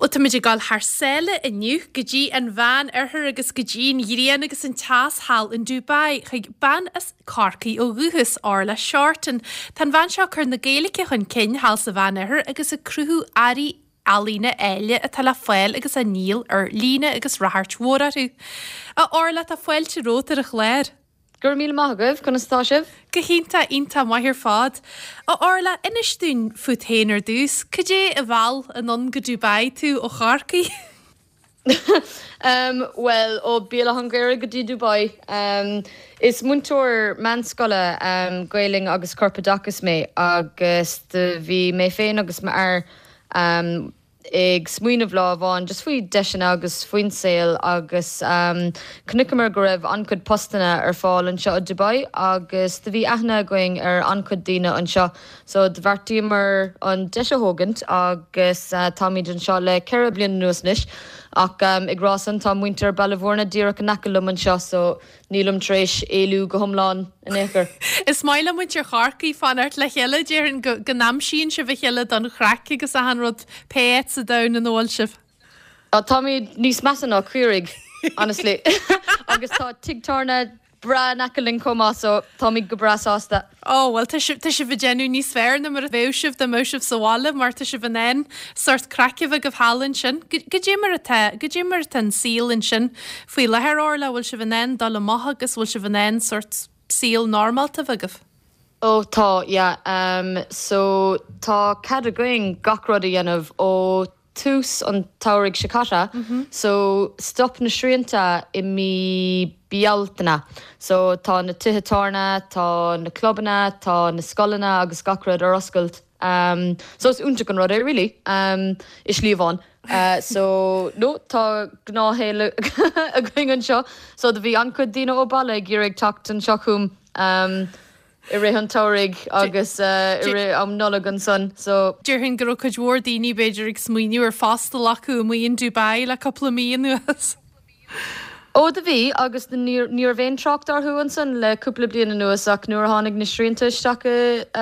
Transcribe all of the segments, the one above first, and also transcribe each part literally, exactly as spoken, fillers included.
Bhuel, táimid ag dul thar sáile inniu go dtí an Mheán Oirthear agus go dtí an ghrian agus an teas thall in Dubai chuig bean as Corcaigh ó dhúchas, Orla Shorten. Tá an bhean seo ag cur na Gaeilge chun cinn thall sa Mheán Oirthear agus ag cruthú earraí ealaíne eile atá le fáil agus á ndíol ar líne agus ráchairt mhór orthu. A Orla, tá fáilte romhat ar an chlár. Go raibh míle maith agaibh, conas tá sibh? Go hiontach, iontach maith ar fad. A Orla, inis dúinn fút féin ar dtús, cad é a mheall anonn go Dubai tú ó Chorcaigh? um, well, ó Béal Átha an Ghaorthaidh go dtí Dubai. Um, is múinteoir meánscoile um, Gaeilge agus corpoideachas mé agus do bhí mé féin agus m'fhear um, ag smaoineamh lá amháin just faoi deiseanna agus faoin saol agus um, chonaiceamar go raibh an-chuid postanna ar fáil anseo i Dubai agus do bhí aithne againn ar an-chuid daoine anseo so do bheartaíomar an deis a thógaint agus uh, táimid anseo le ceithre bliana anuas anois ach um, ag rá san tá muintir Baile Bhúirne díreach in aice liom anseo so nílim tar éis éalú go hiomlán in aon chor. Is maith le muintir Chorcaí fanacht le chéile, déarfainn go go n-aimsíonn sibh a chéile don chraic agus achan rud pé áit sa domhan ina bhfuil sibh. Tá táimid níos measa ná caoirigh, honestly. Agus tá tigh tábhairne breá in aice linn chomh maith so táimid go breá sásta. Ó, well tá sibh tá sibh ag déanamh níos fearr ná mar a bheadh sibh dá mbeadh sibh sa bhaile mar tá sibh in ann sórt craic a bheith agaibh thall ansin. Cad é mar atá cad é mar atá an saol ansin faoi láthair, Orla, bhfuil sibh in ann dul amach agus bhfuil sibh in ann sórt saol normálta a bheith agaibh? Ó tá, yeah. Um, so tá cead againn gach rud a dhéanamh ó tús an tsamhraidh seo caite, mm -hmm. so stop na srianta i mí Bealtaine. So tá na tithe tábhairne, tá na clubanna, tá na scoileanna agus gach rud ar oscailt. Um, so is iontach an rud é really um, i slí amháin. Uh, so no tá gnáthshaol againn anseo, so do bhí an-chuid daoine ó baile ag iarraidh teacht anseo chugam um, i rith an tsamhraidh agus uh, i rith am Nollag ansan so Déarfainn go raibh cuid mhór daoine b'fhéidir ag smaoineamh ar phost a ghlacadh amuigh in Dubai le cúpla mí anuas. Ó do bhí agus ní raibh aon trácht orthu ansan le cúpla bliain anuas ach nuair a tháinig na srianta isteach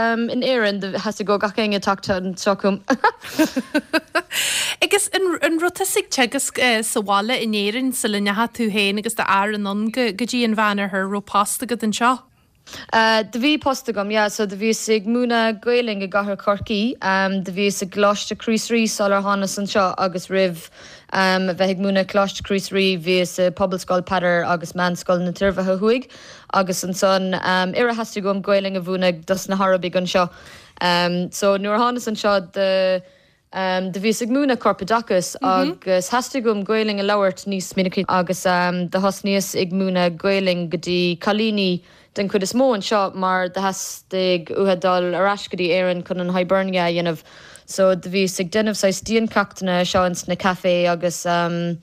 um, in Éirinn theastaigh ó gach éinne teacht anseo chugam. Agus an, an raibh tusa ag teagasc uh, sa bhaile in Éirinn sula ndeachaigh tú féin agus d'fhear anonn go go dtí an Mheánoirthear raibh post agat anseo? Uh, do bhí post agam, yeah, so do bhíos ag múineadh Gaeilge i gcathair Chorcaí, um, do bhíos i gColáiste Chríost Rí sular thánas anseo agus roimh um, bheith ag múineadh Coláiste Chríost Rí bhíos i Pobalscoil Peadar agus Meánscoil na Tairbhithe Thuaidh agus ansan um, ar theastaigh uaim Gaeilge a mhúineadh dos na hArabaigh anseo. Um, so nuair a thánas anseo de Um, do bhíos ag múineadh corpoideachas mm -hmm. agus theastaigh uaim Gaeilge a labhairt níos minicí agus um, do thosnaíos ag múineadh Gaeilge go dtí cailíní den chuid is mó anseo mar do theastaigh uathu dul ar ais go dtí Éirinn chun an Hibernia a dhéanamh. So do bhíos ag déanamh saghas diancheachtanna seo ins na café agus um,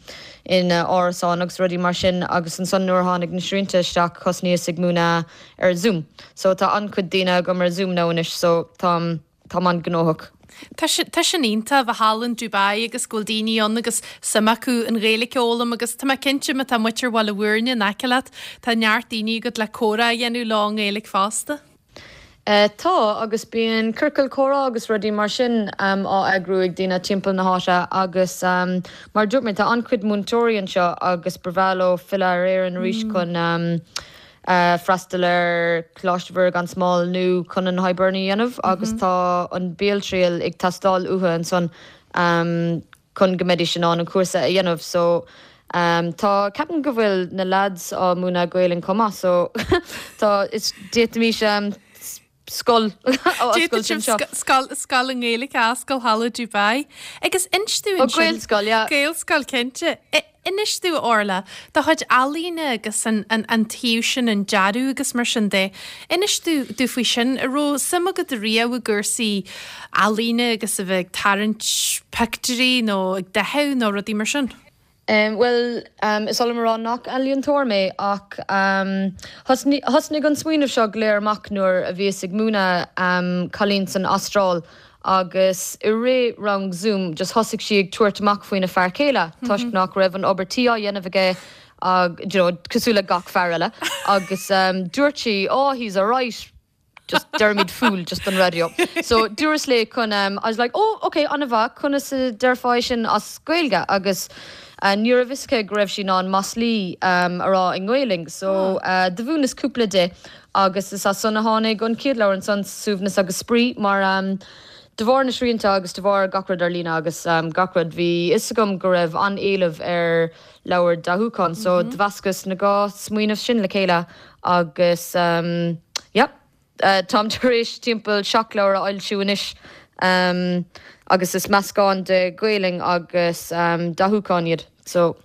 in uh, árasán agus rudaí mar sin agus ansan nuair a tháinig na srianta isteach thosnaíos ag múineadh ar Zoom. So tá an-chuid daoine agam ar Zoom now anois so tá tá an-ghnóthach. Tá sin iontach bheith thall in Dubai agus go bhfuil daoine ann agus suim acu an Ghaeilge a fhoghlaim agus tá mé cinnte má tá muintir Bhaile Bhúirne in aice leat, tá neart daoine agat le comhrá a dhéanamh leo i nGaeilge fosta. Uh, tá agus bíonn ciorcal comhrá agus rudaí mar sin um, á eagrú ag daoine timpeall na háite agus um, mar dúirt mé tá an-chuid múinteoirí anseo agus ba bhreá leo filleadh ar Éirinn arís mm. chun um, uh, freastal ar Choláiste Mhuire gan Smál nó chun an Hibernia a dhéanamh mm -hmm. agus tá an béaltriail ag teastáil uathu ansan um, chun go mbeidís in ann an cúrsa a dhéanamh so um, tá ceapaim go bhfuil na lads á múineadh Gaeilge chomh maith so tá is d'fhéadfaimis um, scoil Scoil i nGaeilge a oscailt thall i Dubai. Agus inis dúinn Gaelscoil, yeah. Gaelscoil cinnte. Inis dúinn, Orla, do chuid ealaíne agus an, an, an taobh sin an dearadh agus mar sin de. Inis dúinn faoi sin an raibh suim agat riamh i gcúrsaí ealaíne agus a bheith ag tarraingt pictiúirí nó ag dathú nó rudaí mar sin. Um, well, um, is oll rá nach ealaíontóir mé ach um, thosnaigh an smaoineamh seo go léir amach nuair a bhíos ag múineadh um, cailín san Astráil agus i rith rang Zoom just thosaigh sí ag tabhairt amach faoina fear céile mm -hmm. toisc nach raibh an obair tí á dhéanamh aige ag you know, cosúil le gach fear eile agus um, dúirt sí oh he's a right Just deirimid fool just don radio. So dúras léi chun um, I was like, oh okay an-mhaith conas a déarfá sin as Gaeilge agus uh, ní raibh fhios aici go raibh sí in ann maslaí um, a rá i nGaeilge, so uh, do mhúineas cúpla di agus is as san a tháinig an chéad leabhar ansan Suaimhneas agus Spraoi mar um, de bharr na srianta agus de bharr gach rud ar líne agus um, gach rud bhí fhios agam go raibh an-éileamh ar leabhar dathúcháin, so mm -hmm. do mheascas na dhá smaoineamh sin le chéile agus um, yeah, uh, táim tar éis timpeall seacht leabhar a fhoilsiú anois um, agus is meascán de Ghaeilge agus um, dathúcháin iad. So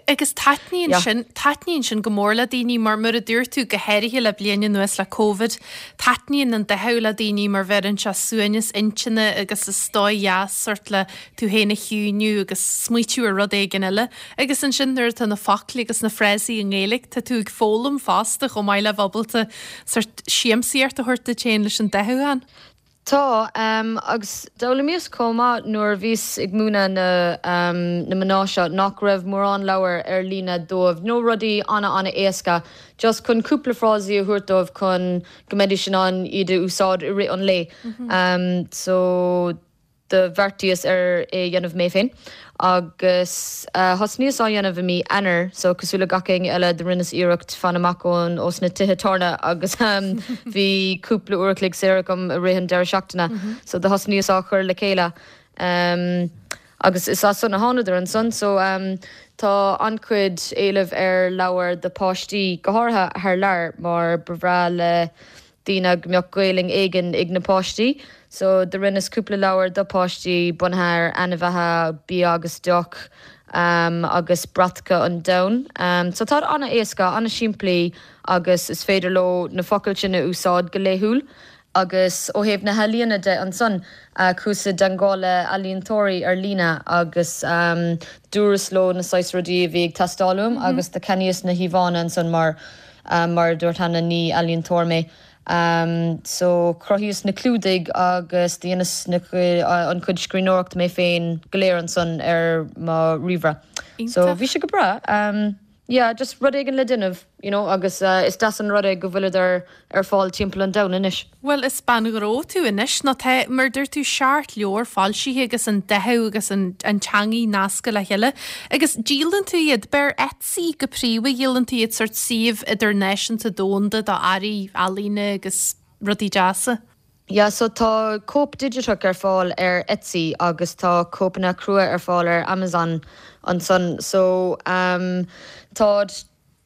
Agus taitníonn yeah. sin taitníonn sin go mór le daoine mar mar a dúirt tú go háirithe le bliain anuas le COVID, taitníonn an dathú le daoine mar bheireann sé suaimhneas intinne agus is dóigh dheas sort le tú féin a chiúnú agus smaoitiú ar rud éigin eile, agus ansin nuair atá na focla agus na frásaí i nGaeilge tá tú ag foghlaim fosta chomh maith le bheith ábalta sort siamsaíocht a thabhairt duit féin leis an dathúchán. Tá um, agus d'fhoghlaimíos chomh maith nuair a bhíos ag múineadh na, um, na mná seo nach raibh mórán leabhar ar líne dóibh, nó rudaí ana ana éasca, just chun cúpla frásaí a thabhairt dóibh chun go mbeidís in ann iad a úsáid i rith an lae. Mm -hmm. um, so do bheartaíos ar é dhéanamh mé féin. agus uh, thosnaíos á dhéanamh i mí Eanáir, so cosúil le gach éinne eile do rinneas iarracht fanacht amach ón ós na tithe tábhairne agus um, bhí cúpla uair an chloig saor agam i rith an deireadh seachtaine, mm -hmm. so do thosnaíos á chur le chéile. Um, agus is as san a thánadar ansan, so um, tá an-chuid éileamh ar leabhar do páistí go háirithe thar lear mar ba bhreá le daoine go mbeadh Gaeilge éigin ag na páistí. So do rinneas cúpla leabhar do páistí bunaithe ar ainmhithe bia agus deoch um, agus bratacha an domhain. Um, so tá an-éasca an-simplí agus is féidir leo na focail sin a úsáid go laethúil. agus ó thaobh na healaíona de ansan uh, chuas i dteagmháil le ealaíontóirí ar líne agus um, dúras leo na saghas rudaí a bhí ag teastáil uaim mm -hmm. agus do cheannaíos na híomhánna ansan mar um, mar dúirt cheana ní ealaíontóir mé. Um, so chruthaíos na clúdaigh agus dheineas na uh, an chuid scríbhneoireachta mé féin go léir ansan ar mo ríomhaire. So bhí sé go breá. Um, yeah, just rud éigin le déanamh, you know, agus uh, is deas an rud é go bhfuil ar ar fáil timpeall an domhain anois. Well is bean gnó tú anois nó tá mar dúirt tú seacht leabhar foilsithe agus an dathú agus an, an teanga nasctha le chéile. Agus díolann tú iad ar Etsy go príomha díolann tú iad sort suíomh idirnáisiúnta domhanda do earraí ealaíne agus rudaí deasa. Ja, so tá cóip digiteach ar fáil ar Etsy agus tá cóipeanna crua ar fáil ar Amazon ansan. So um, tá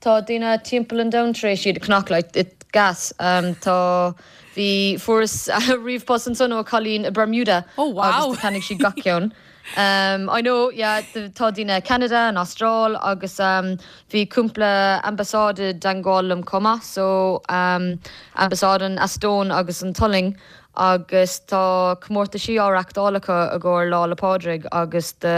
tá daoine timpeall an domhain tar éis iad a cheannach like, it gas. Um, tá bhí fuaireas ríomhphost ansan ó chailín i Bermuda oh, wow. agus cheannaigh sí gach ceann. Um, I know yeah, tá daoine Canada an Astráil agus um, bhí cúpla ambasáid i dteagmháil liom chomh maith, so um, ambasáid an Eastóin agus an tSualainn agus tá comórtaisí á reáchtáil acu i gcomhair Lá Fhéile Pádraig agus de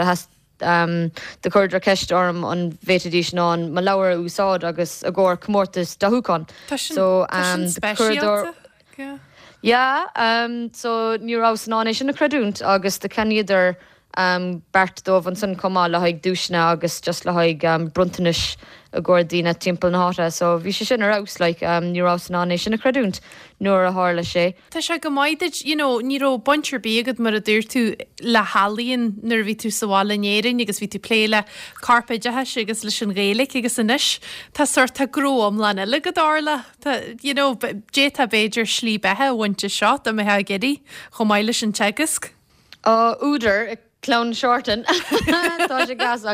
um, do chuireadar ceist orm an bhféadfaidís ná mo leabhar a úsáid agus i gcomhair comórtas dathúcháin. So um, chuireadar Yeah. Yeah, um, so ní rabhas in ann é sin a chreidiúint agus do cheannaíodar um, beirt dóibh ansan chomh maith le haghaidh duaiseanna agus just le haghaidh um, bronntanais i gcomhair daoine timpeall na háite, so bhí sé sin ar fheabhas like, um, ní rabhas in ann é sin a chreidiúint nuair a tharla sé. Tá sé go maith you know, ní raibh baint ar bith agat mar a dúirt tú le healaíon nuair a bhí tú sa bhaile in Éirinn agus bhí tú plé le corpoideachas agus leis an Ghaeilge agus anois tá sort tá gnó iomlán eile go dtarla Tá you know, d'fhéadfá b'fhéidir slí beatha a bhaint as seo dá mbeifeá ag iarraidh chomh maith leis an teagasc. Uh, údar clann Shorten Tá sé gas.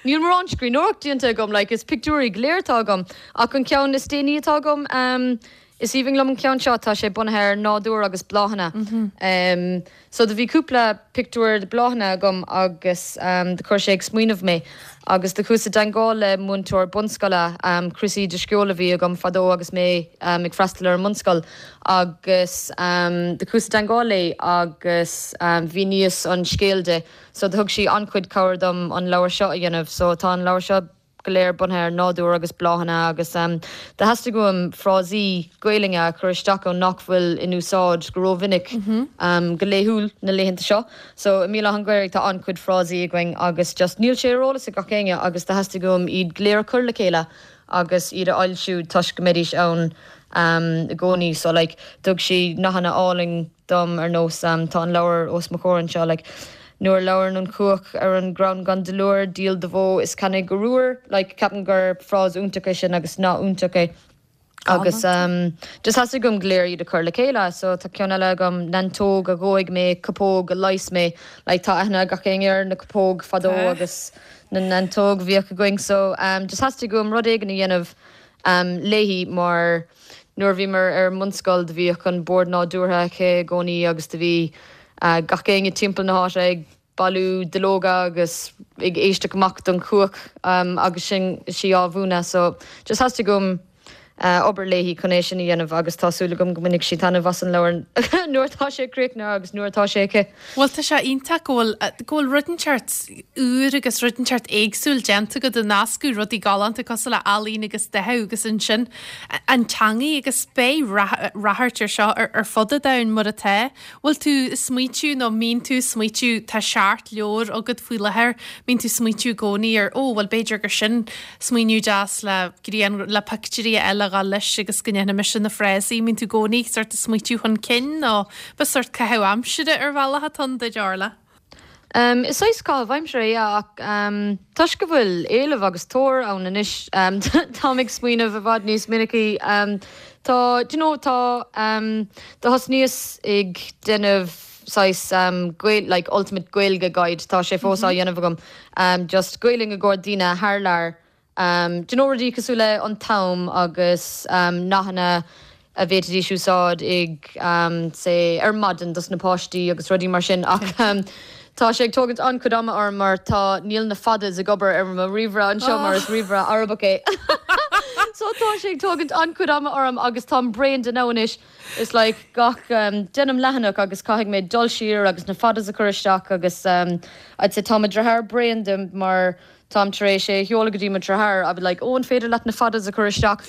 Níl mórán scríbhneoireacht déanta agam like, is pictiúirí go léir atá agam ach an ceann is déanaí atá agam um, is aoibhinn liom an ceann seo tá sé bunaithe ar nádúr agus bláthanna. Mm -hmm. um, so do bhí cúpla pictiúr de bláthanna agam agus um, do chuir sé ag smaoineamh mé. agus do chuas i dteagmháil le múinteoir bunscoile um, Chrissy de sceol a bhí agam fadó agus mé um, ag freastal ar an mbunscoil agus um, do chuas i dteagmháil léi agus um, mhíníos an scéal di, so do thug sí an-chuid cabhair dom an leabhar seo a dhéanamh, so tá an leabhar seo go léir bunaithe ar nádúr agus bláthanna agus um, do theastaigh uaim frásaí Gaeilge a chur isteach ann nach bhfuil in úsáid go rómhinic mm -hmm. um, go laethúil na laethanta seo. So i mBéal Átha an Ghaorthaidh tá an-chuid frásaí againn agus just níl sé ar eolas ag gach éinne agus do theastaigh uaim iad go léir a chur le chéile agus iad a fhoilsiú toisc go mbeidís ann um, i gcónaí so like thug sí nathanna álainn dom ar nós um, tá an leabhar os mo chomhair anseo like nuair labhrann an chuach ar an gcrann gan duilliúr díol do bhó is ceannaigh arúr like ceapaim gur frása iontach é sin agus nath iontach é. Agus um, just theastaigh uaim go léir iad a chur le chéile, so tá ceann eile agam neantóg a dhóigh mé cupóg a leigheas mé, like tá aithne gach éinne ar na cupóg fadó agus na neantóg bhíodh againn so um, just theastaigh uaim rud éigin a dhéanamh um, léi mar nuair a bhíomar ar an mbunscoil do bhíodh an bord nádúrtha aici i gcónaí agus do bhí uh, gach éinne timpeall na háite ag bailiú duilleoga agus ag éisteacht amach don chuach um, agus sin sí á mhúineadh so just theastaigh uaim uh, obair léi chun é sin a dhéanamh agus tá súil agam go mbainfidh sí taitneamh as an leabhar nuair atá sé críochnaithe agus nuair atá sé aici. Bhuel tá sé iontach go bhfuil go bhfuil rud inteacht úr agus rud inteacht éagsúil déanta agat ag nascadh rudaí galánta cosúil le ealaín agus dathú agus ansin an teangaidh agus beidh ráchairt ar seo ar, ar fud an domhain mar atá. Bhfuil tú smaoitiú nó mbíonn tú smaoitiú tá seacht leabhar agat faoi láthair, mbíonn tú smaoitiú i gcónaí ar ó bhuel b'fhéidir gur sin smaoineamh deas le grian le pictiúirí eile a ghabháil leis agus go ndéanfaidh mise na frásaí, mbíonn tú i gcónaí sort of smaoitiú chun cinn nó ba sort caitheamh aimsire ar bhealach atá ann duit Orla. Um, is saghas caitheamh aimsire é ach um, toisc go bhfuil éileamh agus tóir ann anois um, táim ag smaoineamh i bhfad níos minicí um, tá do you know, tá um, do thosnaíos ag déanamh saghas um, Gael, like ultimate Gaeilge guide tá sé fós á dhéanamh agam um, just Gaeilge i gcomhair daoine thar lear um, do you know rudaí cosúil le an t-am agus um, nathanna a bhféadfaidís úsáid ag um, say ar maidin dos na páistí agus rudaí mar sin ach um, Tá sé ag tógaint an-chuid ama orm mar tá níl na fadas ag obair ar mo ríomhaire anseo mar is ríomhaire Arabach é. So tá sé ag tógaint an-chuid ama orm agus táim bréan de anois is like gach um, déanaim leathanach agus caithfidh mé dul siar agus na fadas a chur isteach agus um, I'd say tá mo dheartháir bréan de mar táim tar éis é a sheoladh go dtí mo dheartháir a bheith like ó an féidir leat na fadas a chur isteach.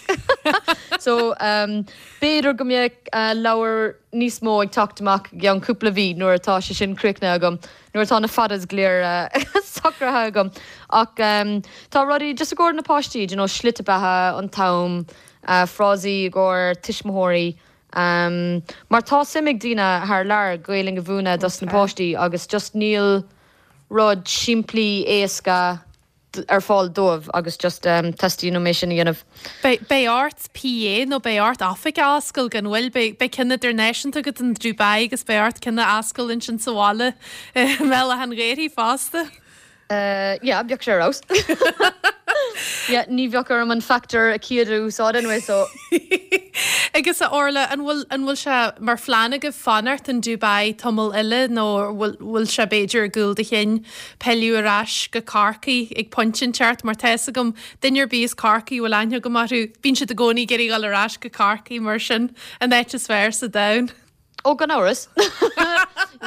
So um, b'fhéidir go mbeidh uh, leabhar níos mó ag teacht amach i gceann cúpla mí nuair atá sé sin críochnaithe agam, nuair atá na fadas go léir uh, socraithe agam. Ach um, tá rudaí just i gcomhair na páistí, you know, slite beatha an t-am, uh, frásaí i gcomhair tuismitheoirí. Um, mar tá suim ag daoine thar lear Gaeilge a mhúineadh dos na páistí agus just níl rud simplí éasca ar fáil dóibh agus just um, teastaíonn uaim é sin a dhéanamh. Beidh ort PA nó beidh ort oifig a oscailt gan mhoill beidh ceann idirnáisiúnta agat in Dubai agus beidh ort ceann a oscailt ansin sa bhaile mBéal Átha an Ghaorthaidh fosta. Uh, yeah, bheadh sé rós. yeah, ní bheadh orm an FACTOR a chéad úsáid anyway, so. Agus a Orla an bhfuil an bhfuil sé mar phlean agaibh fanacht in Dubai tamall eile nó bhfuil sé b'fhéidir i gcúl do chinn pilleadh ar ais go Corcaigh ag pointe inteacht mar tá a fhios agam duine ar bith as Corcaigh a bhfuil aithne agam orthu bíonn siad i gcónaí ag iarraidh dul ar ais go Corcaigh mar sin an áit is fearr sa domhan. Ó gan amhras.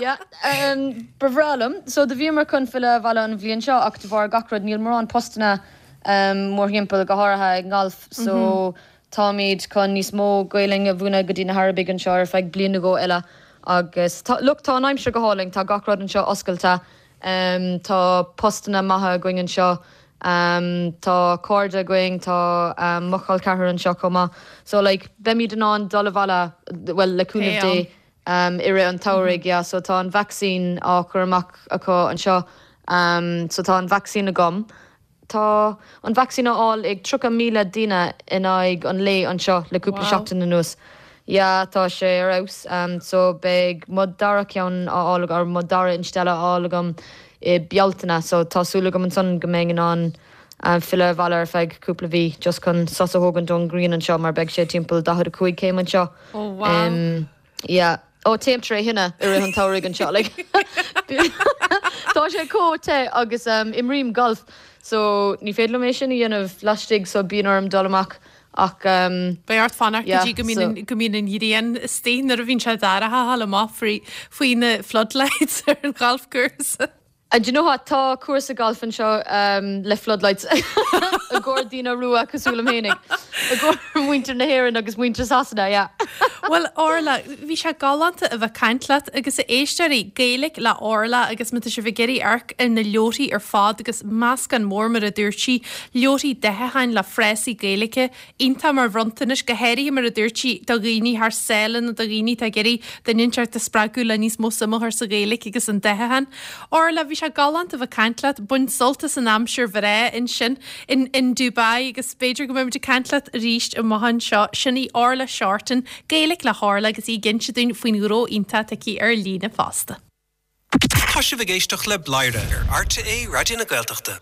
Yeah, um, ba bhreá liom. So do bhíomar chun filleadh abhaile an bhliain seo ach de bharr gach rud níl mórán postanna um, mórthimpeall go háirithe ag golf, so mm -hmm. táimid chun níos mó Gaeilge a mhúineadh go dtí na hArabaigh anseo ar feadh bliain nó dhó eile. Agus tá, look, tá an aimsir go hálainn, tá gach rud anseo oscailte, um, tá postanna maithe againn anseo, um, tá cairde againn, tá um, mo chol ceathrar anseo chomh maith. So like, beimid in ann dul abhaile, well, le cúnamh Dé um, i rith an tsamhraidh, yeah, so tá an vaccine á chur amach acu anseo, um, so tá an vaccine agam. Tá an vaccine á fháil ag tríocha míle duine in aghaidh an lae anseo le cúpla wow. seachtain anuas. Ja, tá sé ar fheabhas um, so beidh mo dara ceann á fháil ar mo dara instealladh á fháil agam i Bealtaine, so tá súil agam ansan go mbeidh in ann um, filleadh abhaile ar feadh cúpla mí just chun sos a thógaint ón ngrian anseo mar beidh sé timpeall daichead a cúig céim anseo. Oh, wow. Um, yeah. Ó téim tré thine i rith an tsamhraidh anseo like. Tá sé chomh te agus um, imrím golf, so ní féidir liom é sin a dhéanamh laistigh so bíonn orm dul amach ach um, Beidh ort fanacht go dtí go mbíonn go mbíonn an ghrian istigh nuair a bhíonn sé dorcha thall amach faoi faoi na floodlights ar an ghalfchúrsa. And you know what? Tá cúrsa golf anseo um, le floodlights i gcomhair daoine rua cosúil liom fhéinig. I gcomhair muintir na hÉireann agus muintir Sasana, yeah. Well Orla, bhí sé galánta a bheith ag caint leat agus a éisteoirí Gaeilge le Orla agus má tá sibh ag iarraidh amharc ar na leabharthaí ar fad agus meascán mór mar a dúirt sí, leabharthaí daitheacháin le frásaí Gaeilge, iontach mar bhronntanais go háirithe mar a dúirt sí do dhaoine thar sáile nó do dhaoine atá ag iarraidh duine inteacht a spreagadh le níos mó suim a chur sa Ghaeilge agus an daitheachán. Orla, bhí sé galánta a bheith ag caint leat, bain sult as an aimsir bhreá ansin in, in Dubai agus b'fhéidir go mbeimid ag caint leat arís amach anseo. Sin í Orla Shorten, Gaeilge le hOrla agus í ag inse dúinn faoin ghnó iontach atá aici ar líne fosta. Tá sibh ag éisteacht le Bladhaire ar RTÉ Raidió na Gaeltachta.